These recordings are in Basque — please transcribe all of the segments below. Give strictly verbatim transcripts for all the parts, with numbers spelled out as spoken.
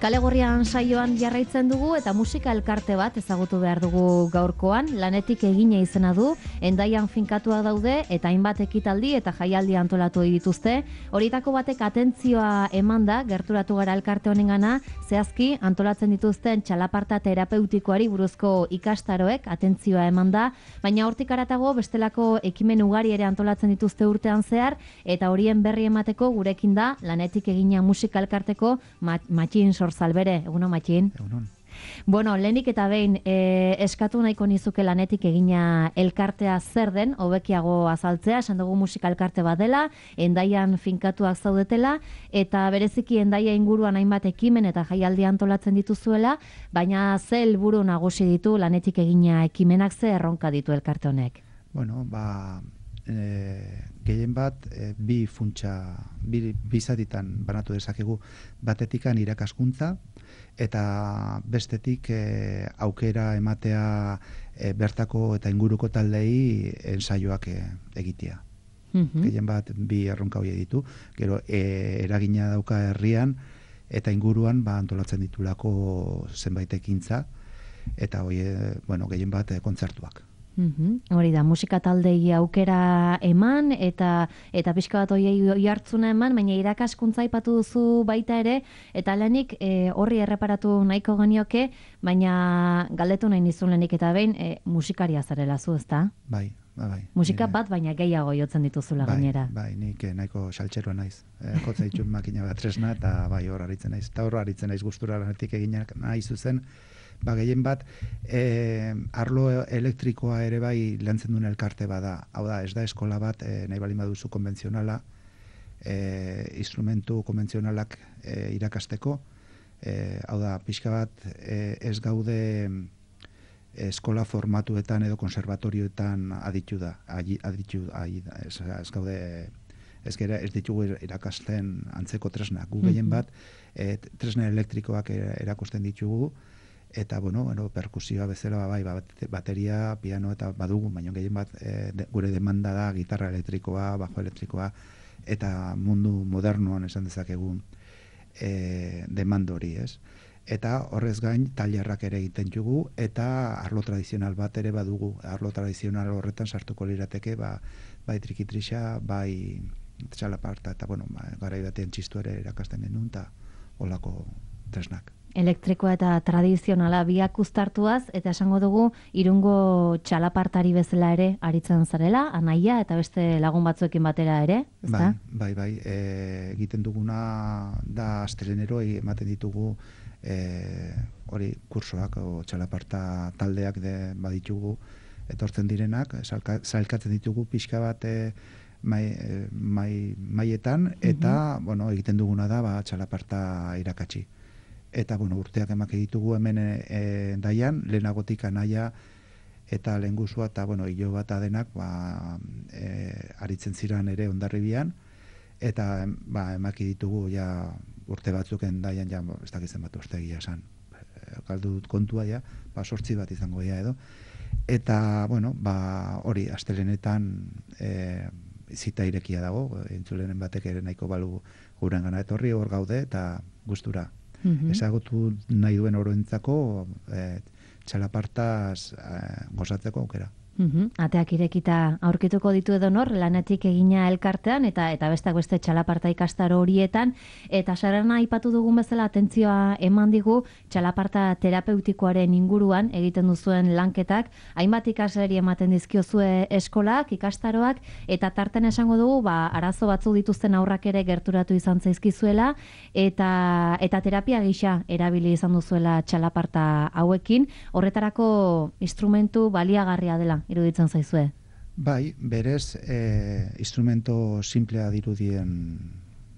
Kalegorrian saioan jarraitzen dugu eta musika elkarte bat ezagutu behar dugu gaurkoan, lanetik egina izena du, Hendaian finkatuak daude eta hainbat ekitaldi eta jaialdi antolatu dituzte. Horietako batek atentzioa emanda, gerturatu gara elkarte honengana, zehazki antolatzen dituzten txalaparta terapeutikoari buruzko ikastaroek atentzioa emanda, baina hortik haratago bestelako ekimen ugari ere antolatzen dituzte urtean zehar, eta horien berri emateko gurekin da lanetik egina musika elkarteko Matxin Sorzalbere. Egunon, Matxin? Egunon. Bueno, lehenik eta behin eh, eskatu nahiko nizuke lanetik egina elkartea zer den, hobekiago azaltzea, esan dugu musika elkarte bat dela, Hendaian finkatuak zaudetela, eta bereziki Hendaia inguruan hainbat ekimen eta jaialdi antolatzen dituzuela, baina ze helburu nagusi ditu lanetik egina ekimenak, ze erronka ditu elkarte honek? Bueno, ba, e, gehien bat, e, bi funtsa, bi, bi zatitan banatu dezakegu, batetikan irakaskuntza, eta bestetik e, aukera ematea e, bertako eta inguruko taldei ensaioak e, egitea. Mhm. Gehien bat bi erronka hori ditu, gero e, eragina dauka herrian eta inguruan ba, antolatzen ditulako zenbait ekintza, eta hori, e, bueno, gehien bat e, kontzertuak. Mhm. Hori da, musika taldei aukera eman eta eta pixka bat hori hartzuna eman, baina irakaskuntza aipatu duzu baita ere, eta lehenik e, horri erreparatu nahiko genioke, baina galdetu nahi nizun lehenik eta behin e, musikaria zarela zu, ezta? Bai, bai, bai. Musika Nire- bat, baina gehiago jotzen dituzula bai, gainera. Bai, nik eh, nahiko saltxeroa naiz. E, jotza ditut makina bat tresna, eta bai hor aritzen naiz. Eta hor aritzen naiz gustura lanetik eginak nahi zuzen, ba, gehien bat, e, arlo elektrikoa ere bai lantzen duen elkarte bada. Hau da, ez da eskola bat, e, nahi bali baduzu konbentzionala, e, instrumentu konbentzionalak e, irakasteko. E, hau da, pixka bat, e, ez gaude eskola formatuetan edo konservatorioetan aditu da. Adi, aditu, adi, ez, ez gaude, ez gera, ez ditugu irakasten antzeko tresnak. Gu gehien bat, e, tresna elektrikoak e, erakusten ditugu, eta, bueno, bueno, perkusioa bezala, bai, bat- bateria, piano eta badugu, baina gehien bat e, de, gure demanda da gitarra elektrikoa, bajo elektrikoa, eta mundu modernoan esan dezakegun e, demanda hori, ez? Eta horrez gain tailerrak ere egiten dugu, eta arlo tradizional bat ere badugu. Arlo tradizional horretan sartuko lirateke, ba, bai trikitrixa, bai txalaparta, eta, bueno, ba, garai batean txistu ere erakasten genuen, eta olako tresnak. Elektrikoa eta tradizionala biak uztartuaz, eta esango dugu Irungo txalapartari bezala ere aritzen zarela, anaia eta beste lagun batzuekin batera ere, ezta? Bai, bai, bai. E, egiten duguna da astelehenero ematen ditugu e, hori kursoak o txalaparta taldeak de baditugu etortzen direnak, salka, sailkatzen ditugu pixka bat e, mai, e, mai, maietan, eta, bueno, egiten duguna da ba, txalaparta irakatsi. Eta, bueno, urteak emak ditugu hemen e, Hendaian, lehenagotik anaia eta lehengusua, eta, bueno, hilo bat denak, ba, e, aritzen ziren ere Hondarribian, eta, ba, emaki ditugu, ja, urte batzuk Hendaian, ja, ez dakitzen bat uste egia esan, galdu dut kontua, ja, ba, sortzi bat izango ja edo, eta, bueno, ba, hori, astelenetan e, zita irekia dago, entzulenen batek ere nahiko balu guren gana etorri, hor gaude, eta gustura. Mhm. Ezagutu nahi duen oroentzako e, txalapartaz e, gozatzeko aukera. Mhm. Ateak irekita aurkituko ditu edonor, lanetik egina elkartean, eta eta besteak beste txalaparta ikastaro horietan, eta sarana aipatu dugun bezala atentzioa eman digu txalaparta terapeutikoaren inguruan egiten duzuen lanketak, hainbat ikasleri ematen dizkiozue eskolak, ikastaroak, eta tarten esango dugu, ba, arazo batzuk dituzten aurrak ere gerturatu izan zaizkizuela, eta eta terapia gisa erabili izan duzuela txalaparta hauekin, horretarako instrumentu baliagarria dela iruditzen zaizue. Bai, berez, e, instrumento simplea dirudien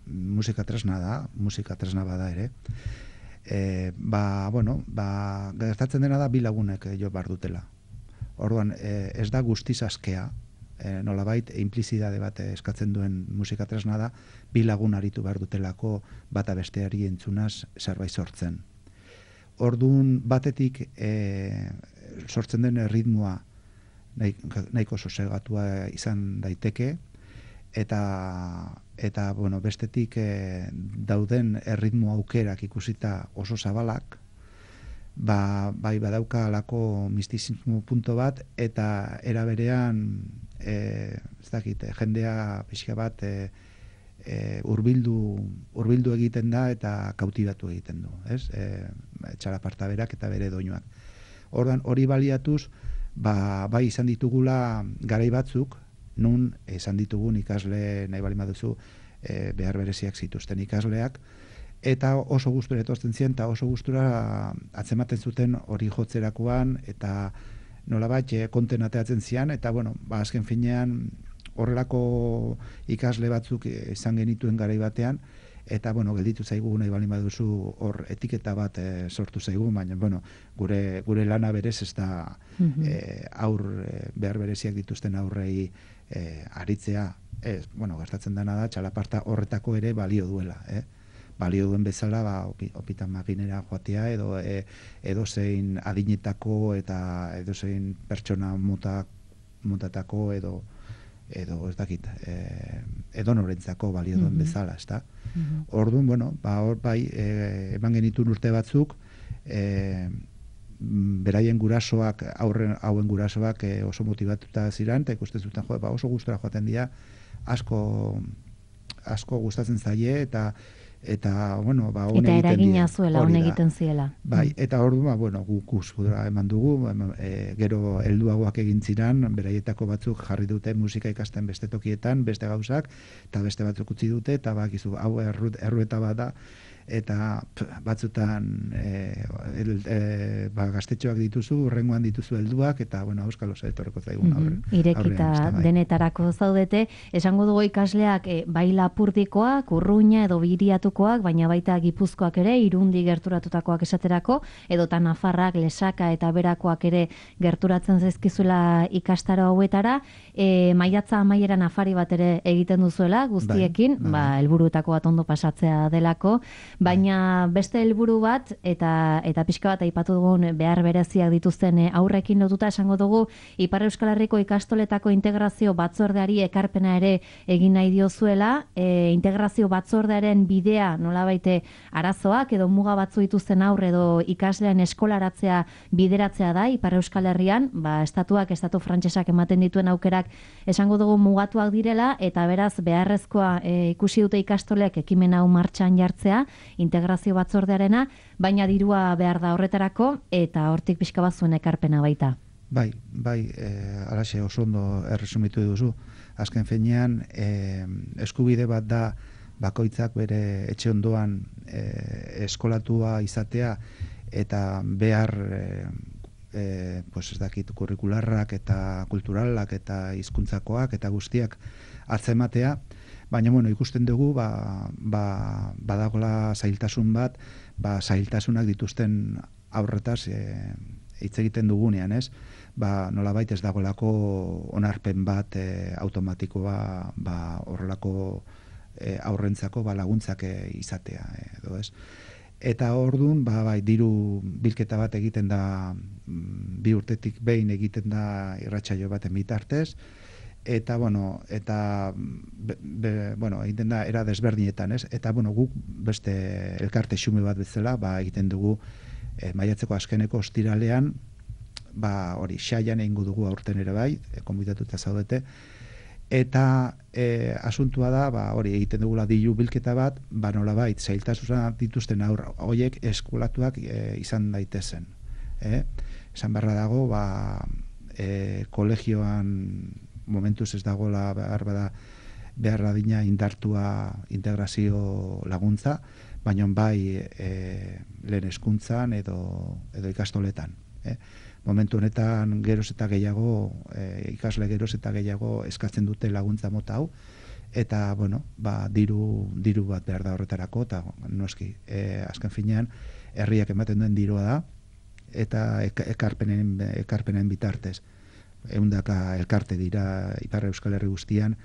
musika tresna da, musika tresna bada ere. E, ba, bueno, ba, gertatzen dena da bi lagunek jo bar dutela. Orduan, e, ez da guztiz askea, e, nolabait implizidade bat eskatzen duen musika tresna da, bi lagun aritu behar dutelako bata besteari entzunaz zerbait sortzen. Orduan, batetik e, sortzen den ritmoa nahiko sosegatua izan daiteke, eta eta bueno, bestetik e, dauden erritmo aukerak ikusita oso zabalak, ba, bai badauka alako mistizismo punto bat, eta era berean e, ez dakit, jendea pixka bat e, e, urbildu, urbildu egiten da eta kautibatu egiten du, ez? E, txalaparta berak eta bere doinuak. Ordan hori baliatuz, ba, bai izan ditugula garai batzuk, nun izan ditugun ikasle nahi bali baduzu e, behar bereziak zituzten ikasleak, eta oso gustura etortzen ziren, eta oso gustura atzematen zuten hori jotzerakoan, eta nolabait konten ateatzen zian, eta bueno, ba, azken finean horrelako ikasle batzuk izan genituen garai batean, eta bueno, gelditu zaigu nahi baldin baduzu hor etiketa bat e, sortu zaigu, baina bueno, gure, gure lana berez ez da mm-hmm. e, aur e, behar bereziak dituzten aurrei e, aritzea, ez, bueno, gastatzen dena da, txalaparta horretako ere balio duela, eh? Balio duen bezala, ba, opitan makinera joatea, edo e, edozein adinetako eta edozein pertsona mota, motatako edo edo ez dakit, e, edo norentzako balio duen mm-hmm. bezala, ezta? Mm-hmm. Orduan, bueno, ba, hor bai, e, eman genituen urte batzuk, e, beraien gurasoak, aurren, hauen gurasoak e, oso motibatuta ziren, eta ikusten zuten, jo, ba, oso gustora joaten dira, asko, asko gustatzen zaie, eta eta bueno, ba on egiten eta eragina zuela on egiten ziela. Bai, eta orduan ba bueno, guk gustura eman dugu, e, gero helduagoak egin ziran, beraietako batzuk jarri dute musika ikasten beste tokietan, beste gauzak, eta beste batzuk utzi dute, eta bakizu hau errueta bat da, eta pff, batzutan e, el, e, ba, gaztetxoak dituzu, urrengoan dituzu helduak, eta bueno, euskal oso etorreko zaigun aurre. Mm-hmm. Irekita aurrean, bai. Denetarako zaudete, esango dugu ikasleak e, bai Lapurdikoak, Urruña edo Biriatukoak, baina baita Gipuzkoak ere, Irundi gerturatutakoak esaterako, edota Nafarrak, Lesaka eta Berakoak ere gerturatzen zaizkizula ikastaro hauetara, e, maiatza amaieran afari bat ere egiten duzuela, guztiekin, bai, bai. Ba, helburuetako bat ondo pasatzea delako, baina beste helburu bat eta eta pixka bat aipatu dugun behar bereziak dituzten aurrekin lotuta esango dugu Ipar Euskal Herriko ikastoletako integrazio batzordeari ekarpena ere egin nahi diozuela, e, integrazio batzordearen bidea nolabait arazoak edo muga batzu dituzten aurre edo ikaslean eskolaratzea bideratzea da Ipar Euskal Herrian, ba estatuak estatu frantsesak ematen dituen aukerak esango dugu mugatuak direla, eta beraz beharrezkoa e, ikusi dute ikastoleak ekimen hau martxan jartzea integrazio batzordearena, baina dirua behar da horretarako, eta hortik pixka bat zuen ekarpena baita. Bai, bai, e, alaxe oso ondo erresumitu duzu. Azken finean, e, eskubide bat da bakoitzak bere etxe ondoan e, eskolatua izatea, eta behar e, e, pues ez dakit, kurrikularrak eta kulturalak eta hizkuntzakoak eta guztiak hartzematea. Baina, bueno, ikusten dugu, ba, ba, badagola zailtasun bat, ba, zailtasunak dituzten aurretaz e, hitz egiten dugunean, ez? Ba, nolabait ez dagolako onarpen bat e, automatikoa ba, horrelako e, aurrentzako ba, laguntzak e, izatea, edo ez? Eta orduan, ba, bai, diru bilketa bat egiten da, bi urtetik behin egiten da irratsaio baten bitartez, eta bueno, eta be, be, bueno, egiten da era desberdinetan, ez? Eta bueno, guk beste elkarte xume bat bezala, ba egiten dugu e, maiatzeko azkeneko ostiralean, ba hori xaian egingo dugu aurten ere bai, e, konbidatuta zaudete. Eta e, asuntua da, ba hori egiten dugula diru bilketa bat, ba nolabait zailtasuna dituzten aur hoiek eskolatuak e, izan daitezen, eh? Esan beharra dago, ba e, kolegioan momentuz ez dagoela behar bada behar adina indartua integrazio laguntza, baina bai e, lehen hezkuntzan edo, edo ikastoletan. Eh? Momentu honetan geroz eta gehiago, e, ikasle geroz eta gehiago eskatzen dute laguntza mota hau, eta bueno, ba, diru, diru bat behar da horretarako, eta noski, e, azken finean, herriak ematen duen dirua da, eta ekarpenen, ekarpenen bitartez. Ehundaka elkarte dira Ipar Euskal Herri guztian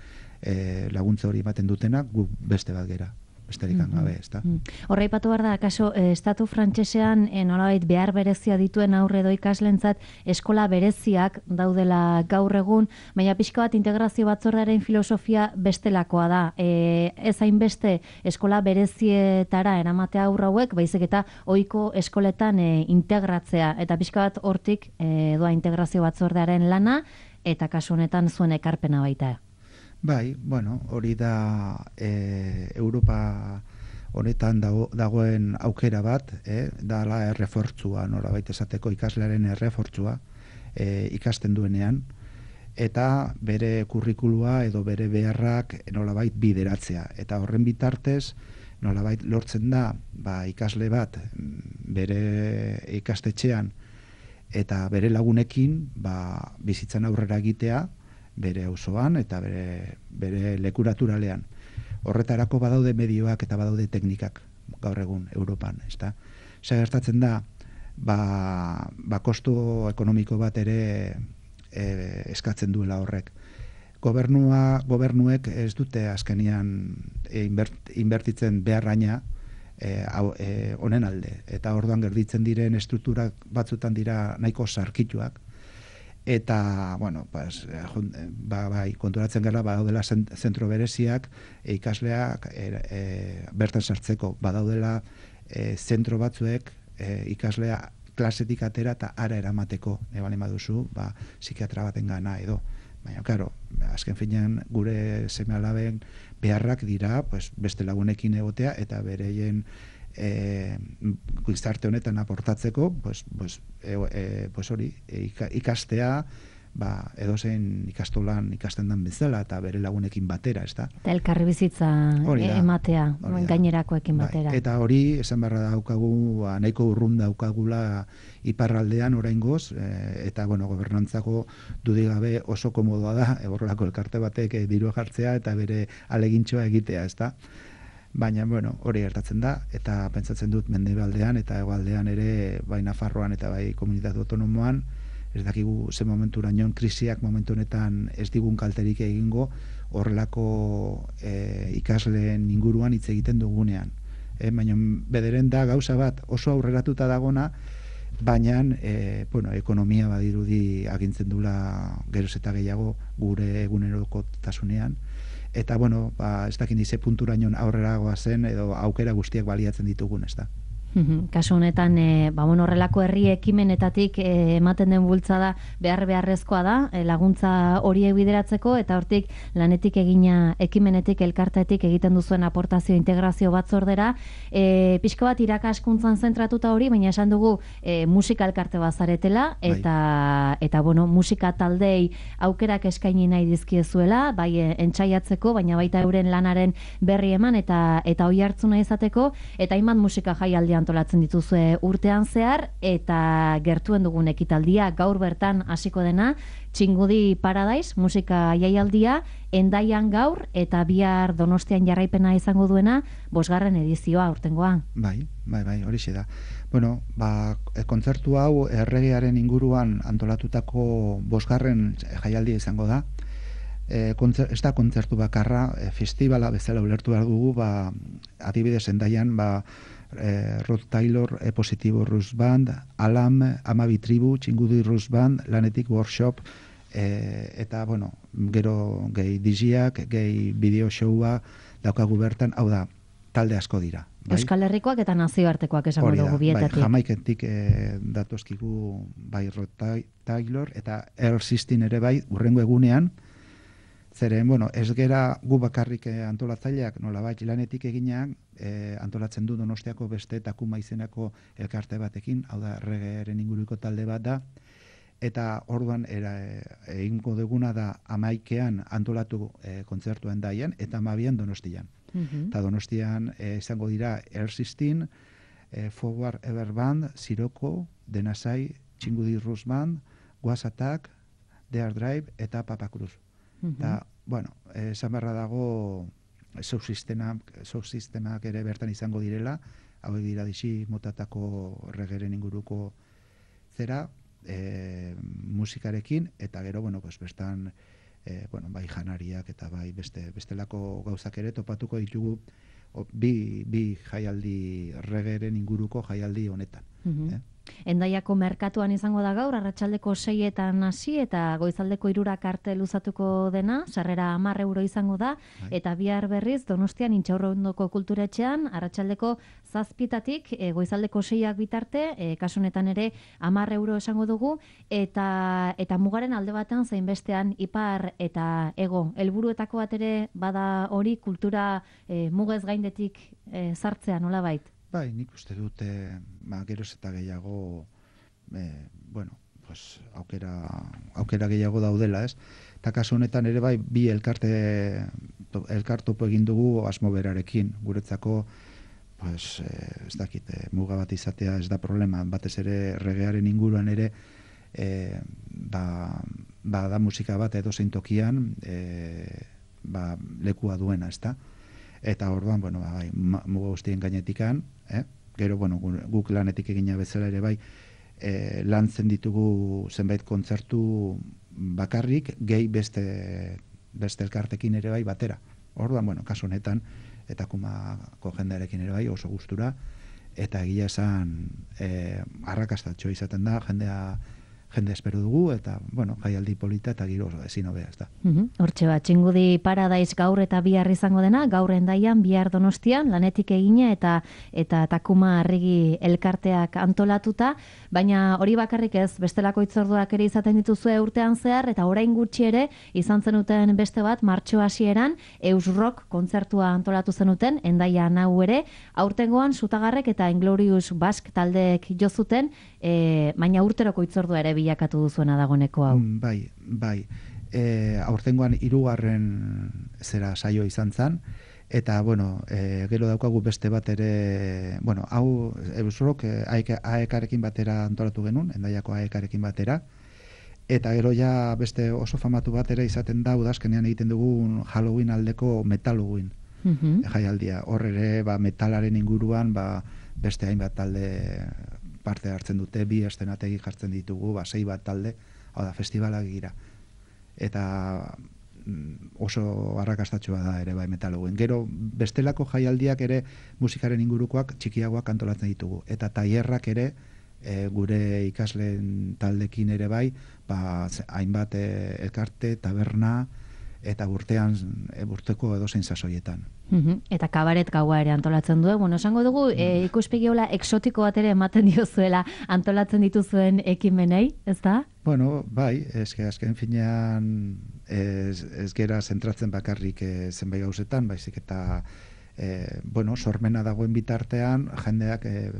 e, laguntza hori ematen dutenak, gu beste bat gera. besterik gabe, ezta. Horra ipatu behar da, kaso, estatu frantsesean e, nolabait behar berezia dituen aurre edo ikaslentzat eskola bereziak daudela gaur egun, baina pixka bat integrazio batzordearen filosofia bestelakoa da. E, ez hainbeste eskola berezietara eramatea aurra hauek, baizik eta ohiko eskoletan e, integratzea, eta pixka bat hortik e, doa integrazio batzordearen lana, eta kasu honetan zuen ekarpena baita. Bai, bueno, hori da e, Europa honetan dago, dagoen aukera bat, eh, dala errefortzua, nolabait esateko ikaslearen errefortzua e, ikasten duenean, eta bere kurrikulua edo bere beharrak nolabait bideratzea. Eta horren bitartez, nolabait lortzen da, ba, ikasle bat bere ikastetxean eta bere lagunekin ba, bizitzan aurrera egitea, bere auzoan eta bere, bere lekuraturalean. Horretarako badaude medioak eta badaude teknikak gaur egun Europan, ezta? Zer gertatzen da, ba, ba kostu ekonomiko bat ere e, eskatzen duela horrek. Gobernua, gobernuek ez dute azkenian e, inbert, inbertitzen beharraina e, hau, e, honen alde. Eta orduan gerditzen diren estrukturak batzutan dira nahiko sarkituak. Eta, bueno, pues, ba, bai, konturatzen gara, badaudela zentro bereziak, e, ikasleak e, e, bertan sartzeko, badaudela e, zentro batzuek e, ikaslea klasetik atera eta ara eramateko, e, bali baduzu, ba, psikiatra baten gana edo. Baina, karo, azken finean gure seme-alaben beharrak dira, pues, beste lagunekin egotea eta bereien E, gizarte honetan aportatzeko, pues, pues, e, e, pues hori, e, ikastea, ba, edozein ikastolan ikasten dan bezala eta bere lagunekin batera, ezta? Eta elkarri bizitza e, ematea, gainerakoekin batera. Bai, eta hori, esan barra daukagu, ba, nahiko urrun daukagula iparraldean oraingoz, e, eta, bueno, gobernantzako dudigabe oso komodoa da, horrelako elkarte batek e, diru jartzea eta bere alegintxoa egitea, ezta? Baina, bueno, hori gertatzen da, eta pentsatzen dut mendebaldean eta hegoaldean ere, bai Nafarroan eta bai komunitate autonomoan, ez dakigu ze momenturaino krisiak momentu honetan ez digun kalterik egingo horrelako e, ikasleen inguruan hitz egiten dugunean. E, baina bederen da gauza bat oso aurreratuta dagona, baina e, bueno, ekonomia badirudi agintzen dula geroz eta gehiago gure egunerokotasunean. Eta, bueno, ba, ez dakin dize punturaino aurreragoa zen edo aukera guztiak baliatzen ditugun, ez da. Kasu honetan, e, ba, bueno, horrelako herri ekimenetatik e, ematen den bultzada behar beharrezkoa da, e, laguntza horiek bideratzeko, eta hortik lanetik egina ekimenetik, elkartetik egiten duzuen aportazio integrazio batzordera, e, pixko bat irakaskuntzan zentratuta hori, baina esan dugu e, musika elkarte bazaretela, eta, eta bueno, musika taldei aukerak eskaini nahi dizkiezuela, bai e, entzaiatzeko, baina baita euren lanaren berri eman, eta eta oi hartzuna izateko, eta hainbat musika jaialdian antolatzen dituzue urtean zehar, eta gertuen dugun ekitaldia gaur bertan hasiko dena, Txingudi Paradise musika jaialdia, Hendaian gaur eta bihar Donostian jarraipena izango duena, bosgarren edizioa aurtengoa. Bai, bai, bai, horixe da. Bueno, ba, kontzertu hau erregearen inguruan antolatutako bosgarren jaialdia izango da. E, kontzer, ez da kontzertu bakarra, e, festivala bezala ulertu behar dugu, ba, adibidez Hendaian, ba, Eh, Rod Taylor, E Positibo Rus Band, Alam, Amabi Tribu, Txingudi Rus Band, Lanetik Workshop, eh, eta, bueno, gero gehi diziak, gehi bideo showa daukagu bertan, hau da, talde asko dira. Bai? Euskal Herrikoak eta nazioartekoak esango dugu bietatik. Bai, Jamaikentik eh, datozkigu bai Rod Taylor, eta Earl Sistin ere bai, urrengo egunean, zeren, bueno, ez gera gu bakarrik antolatzaileak nolabait lanetik eginak e, antolatzen du Donostiako beste Takuma izenako elkarte batekin, hau da erregearen inguruko talde bat da, eta orduan era, egingo duguna da amaikean antolatu e, kontzertu Hendaian eta amabian Donostian. Uh-huh. Eta Donostian e, izango dira Air Sistin, e, Forward Ever Band, Siroko, Denasai, Txingudi Rus Band, Was Attack, Dear Drive eta Papa Cruz. Eta, bueno, esan barra dago subsistemak ere bertan izango direla, hauek dira dixi motatako regeren inguruko zera, e, musikarekin, eta gero, bueno, pues, bestan, e, bueno, bai janariak eta bai beste, bestelako gauzak ere topatuko ditugu bi, bi jaialdi regeren inguruko jaialdi honetan. Mhm. Eh? Endaiako merkatuan izango da gaur, arratsaldeko seietan hasi eta goizaldeko hirurak arte luzatuko dena, sarrera hamar euro izango da, Bai. eta bihar berriz Donostian Intxaurrondoko kulturetxean, arratsaldeko zazpitatik e, goizaldeko seiak bitarte, e, kasu honetan ere hamar euro esango dugu, eta eta mugaren alde batean zein bestean ipar eta ego. Helburuetako bat ere bada hori kultura e, mugez gaindetik e, sartzea nolabait. Bai, nik uste dute, ba, geroz eta gehiago, eh, bueno, pues, aukera, aukera gehiago daudela, ez? Eta kasu honetan ere bai, bi elkarte, to, elkartopo egin dugu asmo berarekin, guretzako, pues, eh, ez dakit, eh, muga bat izatea ez da problema, batez ere regearen inguruan ere, eh, ba, ba, da musika bat edo zein tokian, eh, ba, lekua duena, ez da? Eta orduan, bueno, bai, muga guztien gainetikan, eh? Gero, bueno, guk lanetik egina bezala ere bai, eh, lantzen ditugu zenbait kontzertu bakarrik, gehi beste, beste elkartekin ere bai batera. Orduan, bueno, kasu honetan, eta kumako jendearekin ere bai oso gustura, eta egia esan eh, arrakastatxo izaten da, jendea jende espero dugu, eta, bueno, jaialdi polita eta giro oso ezin hobea, ez da. Mhm. Hortxe bat, Txingudi Paradise gaur eta bihar izango dena, gaur Endaian, bihar Donostian, lanetik egina eta eta Takuma Arregi elkarteak antolatuta, baina hori bakarrik ez, bestelako hitzorduak ere izaten dituzue urtean zehar, eta orain gutxi ere, izan zenuten beste bat, martxo hasieran, Eusrock kontzertua antolatu zenuten, Endaian hau ere, aurtengoan Sutagarrek eta Inglorious Basque taldeek jo zuten, e, baina urteroko hitzordua ere bilakatu duzuena dagoneko hau. Mm, bai, bai. E, aurtengoan hirugarren zera saio izan zen, eta, bueno, e, gero daukagu beste bat ere, bueno, hau Eusrock A E K-arekin batera antolatu genuen, Endaiako A E K-arekin batera, eta gero ja beste oso famatu bat ere izaten da, udazkenean egiten dugun Halloween aldeko Metaloween Mhm. jaialdia. Hor ere, ba, metalaren inguruan, ba, beste hainbat talde parte hartzen dute, bi estenategi jartzen ditugu, ba, sei bat talde, hau da, festivalak gira. Eta oso arrakastatxoa da ere bai Metaloween. Gero, bestelako jaialdiak ere musikaren ingurukoak txikiagoak antolatzen ditugu. Eta tailerrak ere, e, gure ikasleen taldekin ere bai, ba, hainbat e, elkarte, taberna, eta urtean, e, urteko edozein sasoietan. Mhm. Eta kabaret gaua ere antolatzen du. Bueno, esango dugu, e, ikuspegi hola exotiko bat ere ematen diozuela antolatzen dituzuen ekimenei, ez da? Bueno, bai, eske azken finean ez, ez gera zentratzen bakarrik e, zenbait gauzetan, baizik eta e, bueno, sormena dagoen bitartean, jendeak e,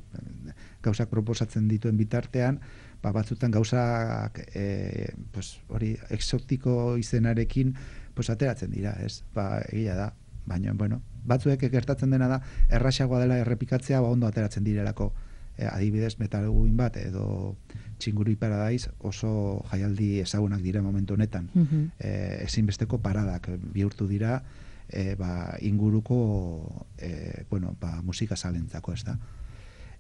gauzak proposatzen dituen bitartean, ba, batzutan gauzak e, pues, hori exotiko izenarekin pues, ateratzen dira, ez? Ba, egia da. Baina, bueno, batzuek gertatzen dena da, erraxagoa dela errepikatzea, ba, ondo ateratzen direlako. E, adibidez, Metaloween bat edo Txingudi Paradise oso jaialdi ezagunak dira momentu honetan. Mhm. E, ezinbesteko paradak bihurtu dira, e, ba, inguruko e, bueno, ba, musika zalentzako, ez da.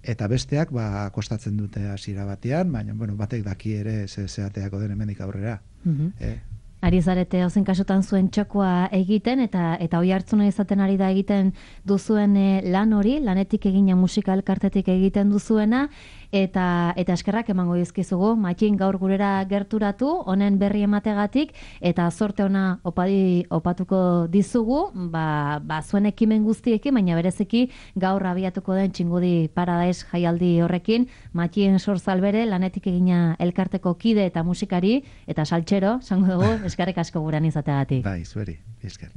Eta besteak, ba, kostatzen dute hasiera batean, baina, bueno, batek daki ere ze zeateako den hemendik aurrera. Mhm. E, Ari zarete ozen kasutan zuen txokoa egiten, eta eta hoi hartzuna izaten ari da egiten duzuen e, lan hori, lanetik egina musika elkartetik egiten duzuena, eta eta eskerrak emango dizkizugu, Matxin gaur gurera gerturatu, honen berri emategatik, eta zorte ona opadi, opatuko dizugu, ba, ba zuen ekimen guztiekin, baina bereziki gaur abiatuko den Txingudi Paradise jaialdi horrekin, Matxin Sorzalbere, lanetik egina elkarteko kide eta musikari, eta saltxero, esango dugu, eskerrik asko guran izateagatik. bai, zueri, esker.